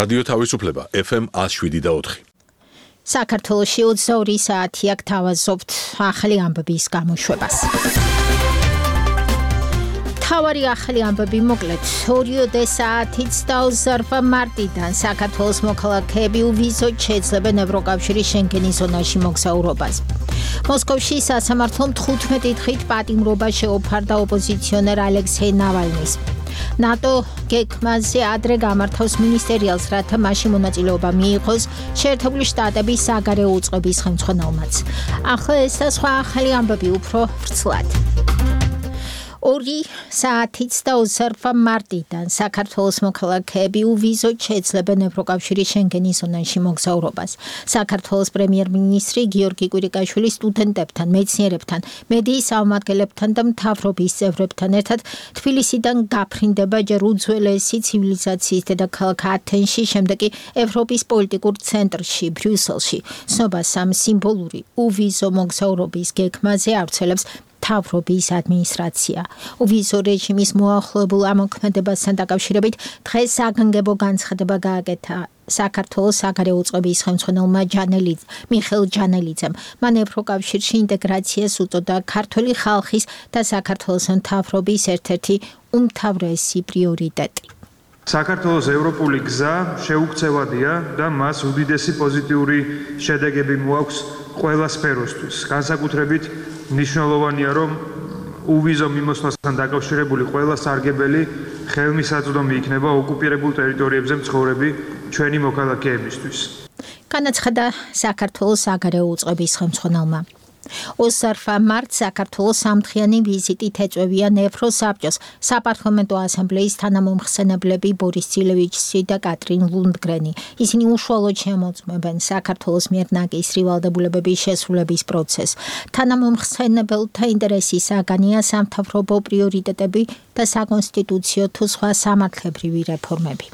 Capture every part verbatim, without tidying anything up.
რადიო თავისუფლება ეფ ემ ათს შვიდი და ოთხი. საქართველოში ოცდაორი საათია გთავაზობთ ახალი ამბების გამოშვებას. თავარი ახალი ამბები მოკლედ ორიოდე საათით დაუსარვა მარტიდან საქართველოს მოქალაქეები უვიზოდ შეძლებენ ევროკავშირის შენგენის ზონაში მოგზაურობას. მოსკოვში სასამართლომ თხუთმეტი დღით პატიმრობა შეუფარდა ოპოზიციონერ ალექსეი ნავალნის. ნატო გეგმაზე ადრე გამართავს მინისტერიალს, რათა მასში მონაწილეობა მიიღოს შეერთებული შტატების საგარეო უწყების ხელმძღვანელმაც. ახლა ეს და სხვა ახალი ამბები უფრო ვრცლად. ორი საათით დაუსარვა მარტიდან საქართველოს მოქალაქეები უვიზოდ შეძლებენ ევროკავშირის შენგენის ზონაში მოგზაურობას. საქართველოს პრემიერ-მინისტრი გიორგი კვირიკაშვილი სტუდენტებთან, მეცნიერებთან, მედიის წარმომადგენლებთან და მთავრობის წევრებთან ერთად თბილისიდან გაფრინდება ჯერ უძველესი ცივილიზაციის დედაქალაქ ათენში, შემდეგ კი ევროპის პოლიტიკურ ცენტრში, ბრიუსელში. სნობას ამ სიმბოლური უვიზო მოგზაურობის გეგმაზე ავრცელებს მთავრობის ადმინისტრაცია. უვიზო რეჟიმის მოახლოებულ ამოქმედებასთან დაკავშირებით დღეს საგანგებო განცხადება გააკეთა საქართველოს საგარეო უწყების ხელმძღვანელმა მიხეილ ჯანელიძემ. მან ევროკავშირში ინტეგრაციას უწოდა ქართული ხალხის და საქართველოს მთავრობის ერთ-ერთი უმთავრესი პრიორიტეტი. საქართველოს ევროპული გზა შეუქცევადია და მას უდიდესი პოზიტიური შედეგები მოაქვს ყველა სფეროსთვის. განსაკუთრებით მნიშვნელოვანია, რომ უვიზო მიმოსვლასთან დაკავშირებული ყველა სარგებელი ხელმისაწვდომი იქნება ოკუპირებულ ტერიტორიებზე მცხოვრები ჩვენი მოქალაქეებისთვის. განაცხადა საქართველოს საგარეო უწყების ხელმძღვანელმა. ოცდაორი მარტს საქართველოს სამდღიანი ვიზიტით ეწვევიან ევროსაბჭოს საპარლამენტო ასამბლეის თანამომხსენებლები ბორის ძილევიჩი და კატრინ ლუნდგრენი. ისინი უშუალოდ შემოწმებენ საქართველოს მიერ ნაკისრი ვალდებულებების შესრულების პროცესს. თანამომხსენებელთა ინტერესის საგანია სამთავრობო პრიორიტეტები და საკონსტიტუციო თუ სხვა სამართლებრივი რეფორმები.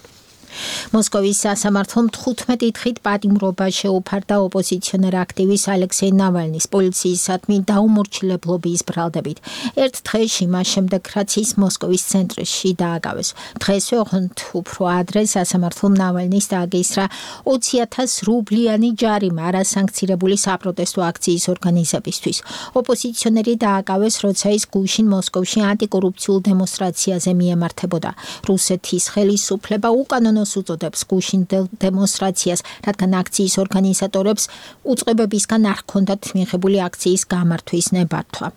მოსკოვის სასამართლომ თხუთმეტი დღით პატიმრობა შეუფარდა ოპოზიციონერ აქტივისტ ალექსეი ნავალნის პოლიციისადმი დაუმორჩილებლობის ბრალდებით. ერთ დღეში მას შემდეგ, რაც ის მოსკოვის ცენტრში დააგავეს. დღესვე ოღონდ უფრო ადრე სასამართლომ ნავალნის დააგისრა ოცი ათას რუბლიანი ჯარიმა არასანქცირებული საპროტესტო აქციის ორგანიზებისთვის. ოპოზიციონერი დააგავეს, როცა ის გუშინ მოსკოვში ანტიკორუფციულ დემონსტრაციაზე მიემართებოდა. რუსეთის ხელისუფლება უკანონო უწოდებს გუშინ დემონსტრაციას, რადგან აქციის ორგანიზატორებს უწყებებისგან არ ჰქონდათ მიღებული აქციის გამართვის ნებართვა.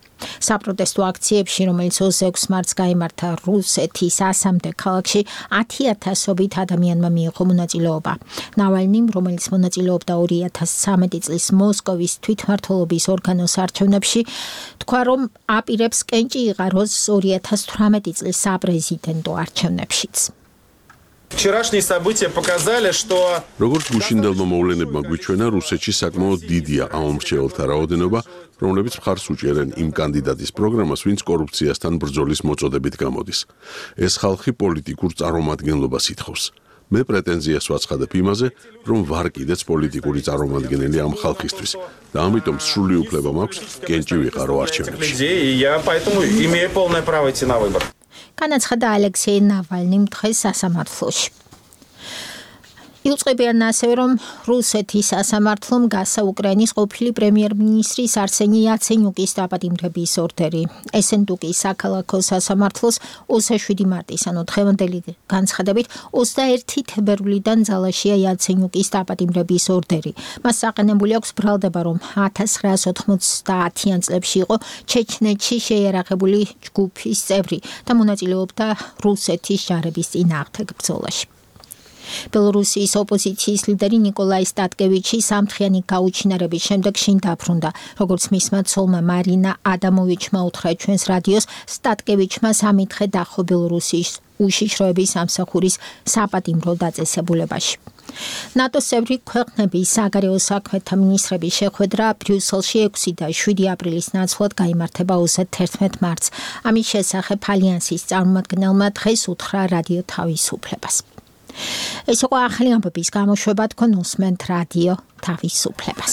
საპროტესტო აქციებში, რომელიც ოცდაექვსი მარტს გაიმართა რუსეთის ასამდე ქალაქში, ათი ათასობით ადამიანმა მიიღო მონაწილეობა. ნავალნიმ, რომელიც მონაწილეობდა ორი ათას ცხრამეტი წლის მოსკოვის თვითმმართველობის ორგანოს არჩევნებში, თქვა, რომ აპირებს კენჭი იღაროს ორი ათას თვრამეტი წლის საპრეზიდენტო არჩევნებშიც. Вчерашние события показали, что როგორც გუშინდელმა მოვლენებმა გვიჩვენა, რუსეთში საკმაოდ დიდია ამ მრჩეველთა რაოდენობა, რომლებიც მხარს უჭერენ იმ კანდიდატის პროგრამას, ვინც კორუფციასთან ბრძოლის მოწოდებით გამოდის. ეს ხალხი პოლიტიკურ წარმომადგენლობას ითხოვს. მე პრეტენზიას ვაცხადებ იმაზე, რომ ვარ კიდეც პოლიტიკური წარმომადგენელი ამ ხალხისთვის და ამიტომ სრული უფლება მაქვს კენჭი ვიყარო არჩევნებში. განაცხადა ალექსეი ნავალნიმ დღეს სასამართლოში. იუწყებიან ასევე, რომ რუსეთის სასამართლომ გასცა უკრაინის ყოფილი პრემიერ-მინისტრის არსენი იაცენიუკის დაპატიმრების ორდერი. ესენდუკის საქალაქო სასამართლოს ოცდაშვიდი მარტის, ანუ დღევანდელი განცხადებით, ოცდაერთი თებერვლიდან ძალაშია იაცენიუკის დაპატიმრების ორდერი. მას საყენებული აქვს ბრალდება, რომ ათას ცხრაას ოთხმოცდაათიან წლებში იყო ჩეჩნეთში შეიარაღებული ჯგუფის წევრი და მონაწილეობდა რუსეთის ჯარების წინააღმდეგ ბრძოლაში. ბელორუსიის ოპოზიციის ლიდერი ნიკოლაი სტატკევიჩი სამდღიანი გაუჩინარების შემდეგ შინ დაბრუნდა. როგორც მისმა ცოლმა მარინა ადამოვიჩმა უთხრა ჩვენს რადიოს, სტატკევიჩმა სამი დღე დახო ბელორუსიის უშიშროების სამსახურის საპატიმრო დაწესებულებაში. ნატოს წევრი ქვეყნების საგარეო საქმეთა მინისტრების შეხვედრა ბრიუსელში ექვსი და შვიდი აპრილის ნაცვლად გაიმართება ოცდაერთმეტ მარტს. ამის შესახებ ალიანსის წარმომადგენელმა დღეს უთხრა რადიო თავისუფლებას. ეს იყო ახალი ამბების გამოშვება, თქვენ უსმენთ რადიო თავისუფლებას.